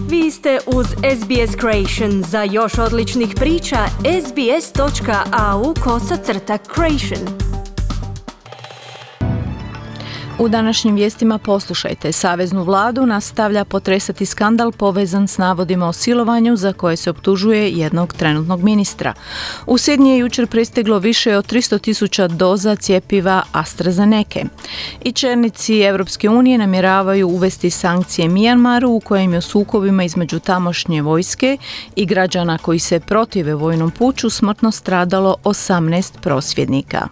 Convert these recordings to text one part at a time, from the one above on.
Vi ste uz SBS Creation. Za još odličnih priča, sbs.au/creation. U današnjim vijestima poslušajte. Saveznu vladu nastavlja potresati skandal povezan s navodima o silovanju za koje se optužuje jednog trenutnog ministra. U Sidney je jučer pristiglo više od 300.000 doza cjepiva AstraZeneca. I čelnici Europske unije namjeravaju uvesti sankcije Mijanmaru u kojem je u sukobima između tamošnje vojske i građana koji se protive vojnom puču smrtno stradalo 18 prosvjednika.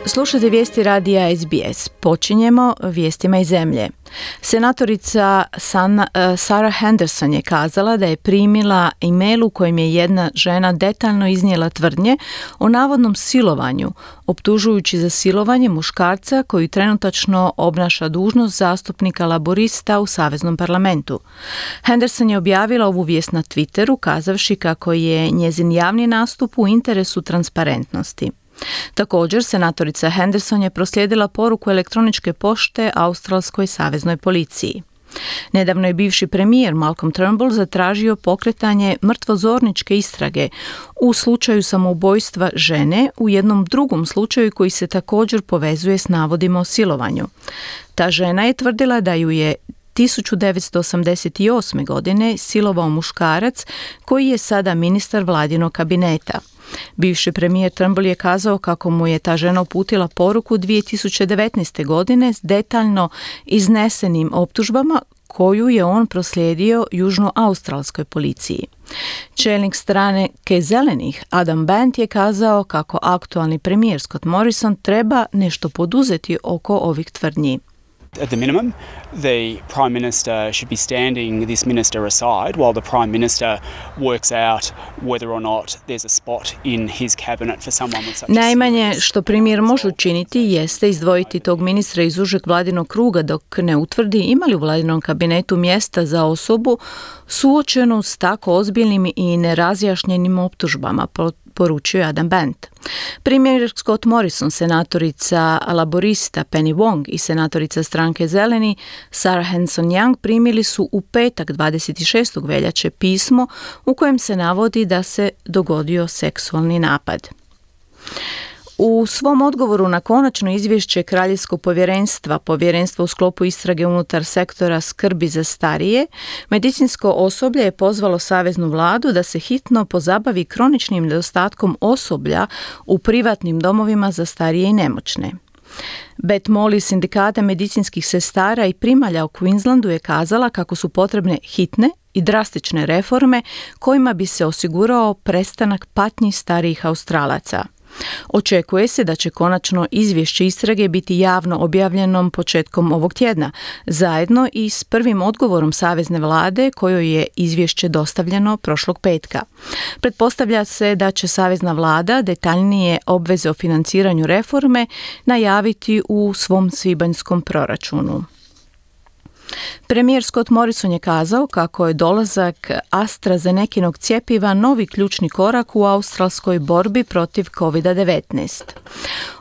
Slušajte vijesti radija SBS. Počinjemo vijestima iz zemlje. Senatorica Sarah Henderson je kazala da je primila e-mail u kojem je jedna žena detaljno iznijela tvrdnje o navodnom silovanju, optužujući za silovanje muškarca koji trenutačno obnaša dužnost zastupnika laborista u Saveznom parlamentu. Henderson je objavila ovu vijest na Twitteru, kazavši kako je njezin javni nastup u interesu transparentnosti. Također, senatorica Henderson je proslijedila poruku elektroničke pošte Australskoj saveznoj policiji. Nedavno je bivši premijer Malcolm Turnbull zatražio pokretanje mrtvozorničke istrage u slučaju samoubojstva žene u jednom drugom slučaju koji se također povezuje s navodima o silovanju. Ta žena je tvrdila da ju je 1988. godine silovao muškarac koji je sada ministar vladinog kabineta. Bivši premijer Turnbull je kazao kako mu je ta žena uputila poruku 2019. godine s detaljno iznesenim optužbama koju je on proslijedio južnoaustralskoj policiji. Čelnik stranke Zelenih Adam Band je kazao kako aktualni premijer Scott Morrison treba nešto poduzeti oko ovih tvrdnji. At the minimum, the Prime Minister should be standing this minister aside while the Prime Minister works out whether or not there's a spot in his cabinet for someone with such a Najmanje što premijer može učiniti jeste izdvojiti tog ministra iz užeg vladinog kruga dok ne utvrdi ima li u vladinom kabinetu mjesta za osobu suočenu s tako ozbiljnim i nerazjašnjenim optužbama, poručio je Adam Band. Premijer Scott Morrison, senatorica laborista Penny Wong i senatorica stranke Zeleni Sarah Hanson-Young primili su u petak 26. veljače pismo u kojem se navodi da se dogodio seksualni napad. U svom odgovoru na konačno izvješće Kraljevskog povjerenstva u sklopu istrage unutar sektora skrbi za starije, medicinsko osoblje je pozvalo saveznu vladu da se hitno pozabavi kroničnim nedostatkom osoblja u privatnim domovima za starije i nemoćne. Beth Molly, sindikata medicinskih sestara i primalja u Queenslandu, je kazala kako su potrebne hitne i drastične reforme kojima bi se osigurao prestanak patnji starijih Australaca. Očekuje se da će konačno izvješće istrage biti javno objavljeno početkom ovog tjedna, zajedno i s prvim odgovorom savezne vlade kojoj je izvješće dostavljeno prošlog petka. Pretpostavlja se da će savezna vlada detaljnije obveze o financiranju reforme najaviti u svom svibanjskom proračunu. Premijer Scott Morrison je kazao kako je dolazak AstraZenekinog cjepiva novi ključni korak u australskoj borbi protiv COVID-19.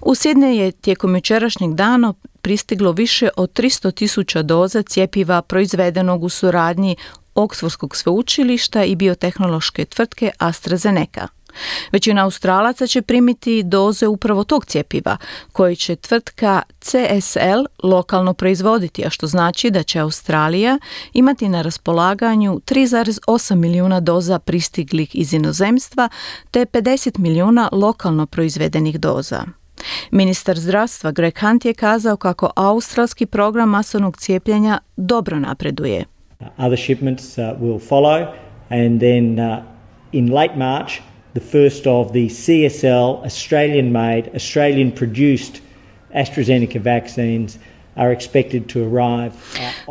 U Sidney je tijekom jučerašnjeg dana pristiglo više od 300.000 doza cjepiva proizvedenog u suradnji Oxfordskog sveučilišta i biotehnološke tvrtke AstraZeneca. Većina Australaca će primiti doze upravo tog cjepiva, koje će tvrtka CSL lokalno proizvoditi, a što znači da će Australija imati na raspolaganju 3,8 milijuna doza pristiglih iz inozemstva te 50 milijuna lokalno proizvedenih doza. Ministar zdravstva Greg Hunt je kazao kako australski program masovnog cijepljenja dobro napreduje. Other shipments will follow and then in late March the first of the CSL Australian-made, Australian-produced AstraZeneca vaccines are expected to arrive.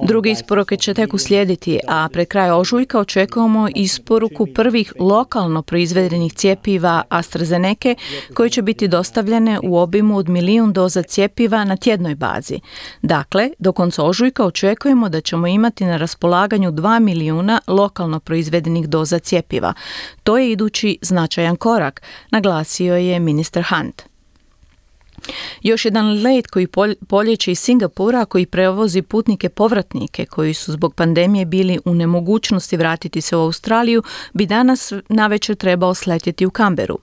Druge isporuke će tek uslijediti, a pred kraj ožujka očekujemo isporuku prvih lokalno proizvedenih cjepiva AstraZeneca koje će biti dostavljene u obimu od 1 milijun doza cjepiva na tjednoj bazi. Dakle, do konca ožujka očekujemo da ćemo imati na raspolaganju 2 milijuna lokalno proizvedenih doza cjepiva. To je idući značajan korak, naglasio je ministar Hunt. Još jedan let koji poljeće iz Singapura, koji prevozi putnike povratnike koji su zbog pandemije bili u nemogućnosti vratiti se u Australiju, bi danas navečer trebao sletjeti u Canberu.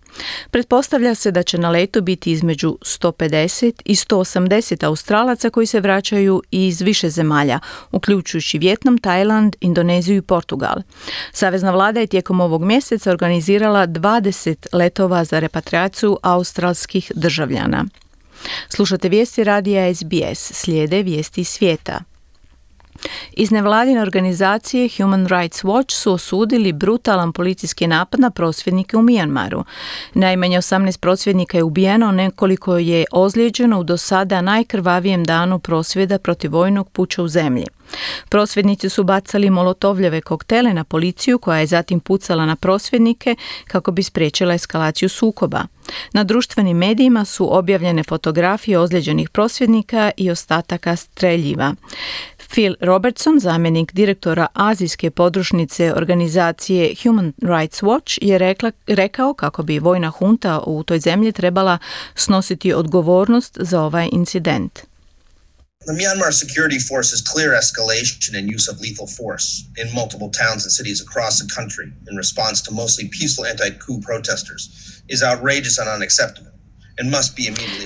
Pretpostavlja se da će na letu biti između 150 i 180 Australaca koji se vraćaju iz više zemalja, uključujući Vijetnam, Tajland, Indoneziju i Portugal. Savezna vlada je tijekom ovog mjeseca organizirala 20 letova za repatriaciju australskih državljana. Slušate vijesti radija SBS, slijede vijesti iz svijeta. Iz nevladine organizacije Human Rights Watch su osudili brutalan policijski napad na prosvjednike u Mijanmaru. Najmanje 18 prosvjednika je ubijeno, nekoliko je ozlijeđeno u do sada najkrvavijem danu prosvjeda protiv vojnog puča u zemlji. Prosvjednici su bacali molotovljeve koktele na policiju koja je zatim pucala na prosvjednike kako bi spriječila eskalaciju sukoba. Na društvenim medijima su objavljene fotografije ozlijeđenih prosvjednika i ostataka streljiva. Phil Robertson, zamjenik direktora azijske podružnice organizacije Human Rights Watch, je rekao kako bi vojna hunta u toj zemlji trebala snositi odgovornost za ovaj incident. The Myanmar security force's clear escalation and use of lethal force in multiple towns and cities across the country in response to mostly peaceful anti-coup protesters is outrageous and unacceptable.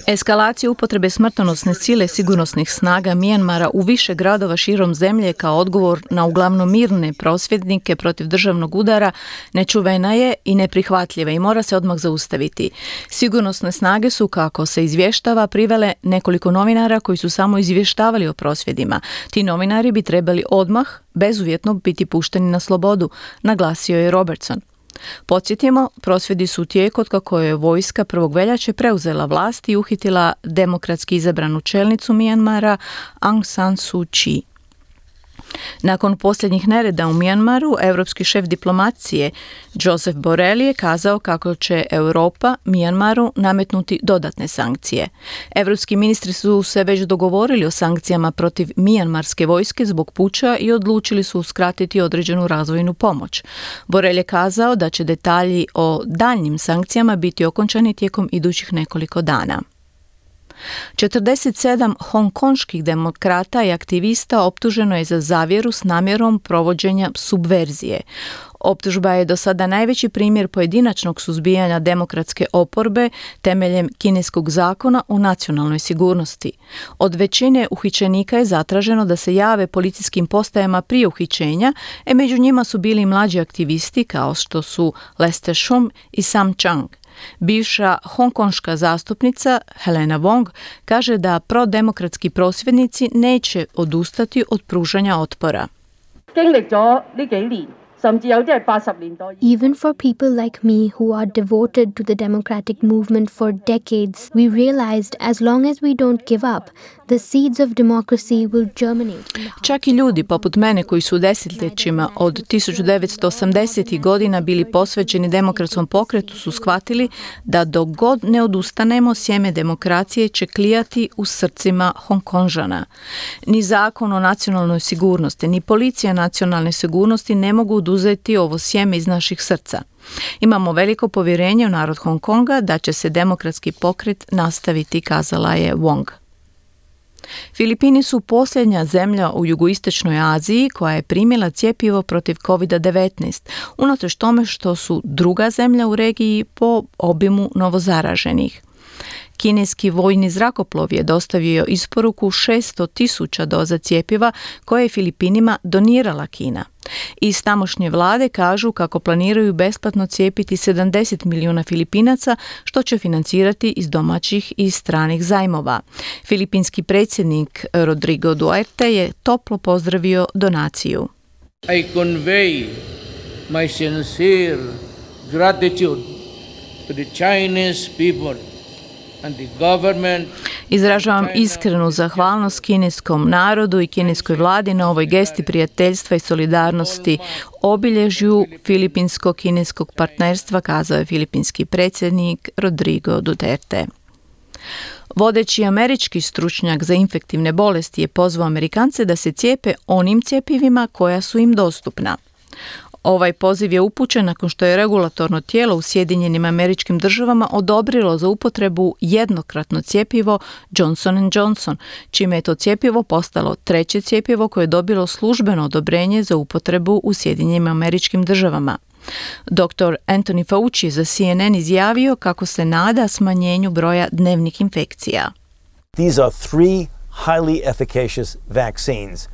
Eskalacija upotrebe smrtonosne sile sigurnosnih snaga Mijanmara u više gradova širom zemlje kao odgovor na uglavnom mirne prosvjednike protiv državnog udara nečuvena je i neprihvatljiva i mora se odmah zaustaviti. Sigurnosne snage su, kako se izvještava, privele nekoliko novinara koji su samo izvještavali o prosvjedima. Ti novinari bi trebali odmah, bezuvjetno, biti pušteni na slobodu, naglasio je Robertson. Podsjetimo, prosvjedi su u tijeku otkako je vojska 1. veljače preuzela vlast i uhitila demokratski izabranu čelnicu Mijanmara Aung San Suu Kyi. Nakon posljednjih nereda u Mijanmaru, europski šef diplomacije Joseph Borrell je kazao kako će Europa Mijanmaru nametnuti dodatne sankcije. Europski ministri su se već dogovorili o sankcijama protiv mijanmarske vojske zbog puča i odlučili su uskratiti određenu razvojnu pomoć. Borrell je kazao da će detalji o daljnjim sankcijama biti okončani tijekom idućih nekoliko dana. 47 hongkonških demokrata i aktivista optuženo je za zavjeru s namjerom provođenja subverzije. Optužba je do sada najveći primjer pojedinačnog suzbijanja demokratske oporbe temeljem kineskog zakona o nacionalnoj sigurnosti. Od većine uhićenika je zatraženo da se jave policijskim postajama prije uhićenja, među njima su bili mlađi aktivisti kao što su Lester Shum i Sam Chang. Bivša hongkonška zastupnica Helena Wong kaže da prodemokratski prosvjednici neće odustati od pružanja otpora. Even for people like me who are devoted to the democratic movement for decades, we realized as long as we don't give up, the seeds of democracy will germinate. Čak i ljudi poput mene koji su desetljećima od 1980. godina bili posvećeni demokratskom pokretu su shvatili da dok god ne odustanemo, sjeme demokracije će klijati u srcima Hongkonžana. Ni zakon o nacionalnoj sigurnosti, ni policija nacionalne sigurnosti ne mogu oduzeti ovo sjeme iz naših srca. Imamo veliko povjerenje u narod Hong Konga da će se demokratski pokret nastaviti, kazala je Wong. Filipini su posljednja zemlja u jugoistočnoj Aziji koja je primila cjepivo protiv COVID-19, unatoč tome što su druga zemlja u regiji po obimu novozaraženih. Kineski vojni zrakoplov je dostavio isporuku 600.000 doza cjepiva koje je Filipinima donirala Kina. Iz tamošnje vlade kažu kako planiraju besplatno cijepiti 70 milijuna Filipinaca, što će financirati iz domaćih i stranih zajmova. Filipinski predsjednik Rodrigo Duterte je toplo pozdravio donaciju. I convey my sincere gratitude to the Chinese people. Izražavam iskrenu zahvalnost kineskom narodu i kineskoj vladi na ovoj gesti prijateljstva i solidarnosti, obilježju filipinsko-kineskog partnerstva, kazao je filipinski predsjednik Rodrigo Duterte. Vodeći američki stručnjak za infektivne bolesti je pozvao Amerikance da se cijepe onim cjepivima koja su im dostupna. Ovaj poziv je upućen nakon što je regulatorno tijelo u Sjedinjenim Američkim Državama odobrilo za upotrebu jednokratno cjepivo Johnson & Johnson, čime je to cjepivo postalo treće cjepivo koje je dobilo službeno odobrenje za upotrebu u Sjedinjenim Američkim Državama. Dr. Anthony Fauci za CNN izjavio kako se nada smanjenju broja dnevnih infekcija. These are 3 highly efficacious vaccines.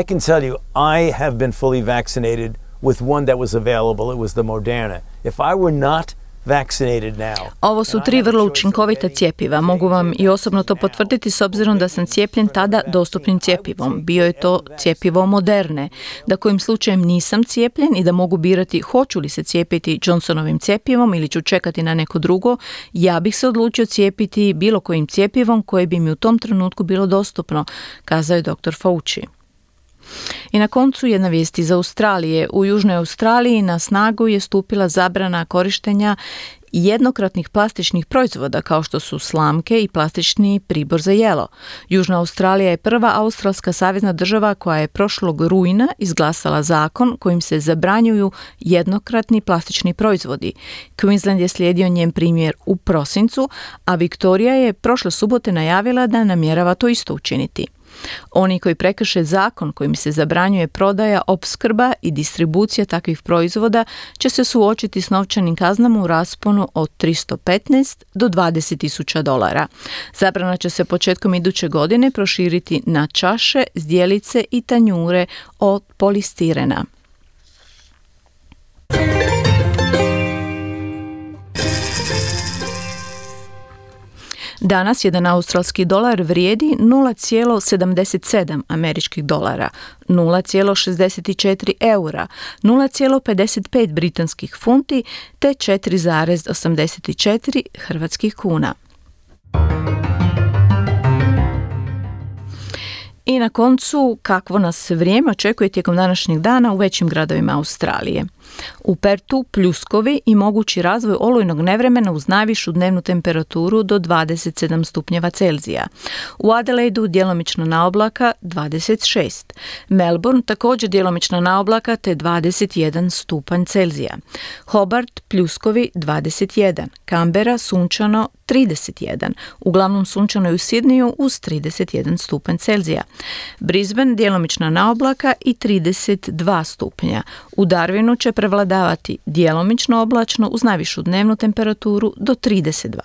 I can tell you, I have been fully vaccinated with one that was available. It was the Moderna. If I were not vaccinated now. Ovo su 3 vrlo učinkovita cjepiva. Mogu vam i osobno to potvrditi s obzirom da sam cijepljen tada dostupnim cjepivom. Bio je to cjepivo Moderne. Da kojim slučajem nisam cijepljen i da mogu birati hoću li se cijepiti Johnsonovim cjepivom ili ću čekati na neko drugo, ja bih se odlučio cijepiti bilo kojim cjepivom koje bi mi u tom trenutku bilo dostupno, kazao je dr. Fauci. I na koncu jedna vijest iz Australije. U Južnoj Australiji na snagu je stupila zabrana korištenja jednokratnih plastičnih proizvoda kao što su slamke i plastični pribor za jelo. Južna Australija je prva australska savezna država koja je prošlog rujna izglasala zakon kojim se zabranjuju jednokratni plastični proizvodi. Queensland je slijedio njen primjer u prosincu, a Viktorija je prošle subote najavila da namjerava to isto učiniti. Oni koji prekrše zakon kojim se zabranjuje prodaja, opskrba i distribucija takvih proizvoda će se suočiti s novčanim kaznama u rasponu od $315 do $20,000. Zabrana će se početkom iduće godine proširiti na čaše, zdjelice i tanjure od polistirena. Danas jedan australski dolar vrijedi 0,77 američkih dolara, 0,64 eura, 0,55 britanskih funti te 4,84 hrvatskih kuna. I na koncu, kakvo nas vrijeme očekuje tijekom današnjeg dana u većim gradovima Australije. U Pertu pljuskovi i mogući razvoj olujnog nevremena uz najvišu dnevnu temperaturu do 27 stupnjeva Celzija. U Adelaidu djelomično naoblaka 26. Melbourne također djelomično naoblaka te 21 stupanj Celzija. Hobart pljuskovi 21. Canberra sunčano 31. Uglavnom sunčano je u Sidneju uz 31 stupanj Celzija. Brisbane djelomično naoblaka i 32 stupnja. U Darwinu će prevladavati djelomično oblačno uz najvišu dnevnu temperaturu do 32.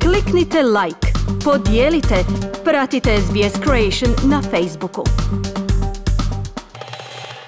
Kliknite like, podijelite, pratite SBS Creation na Facebooku.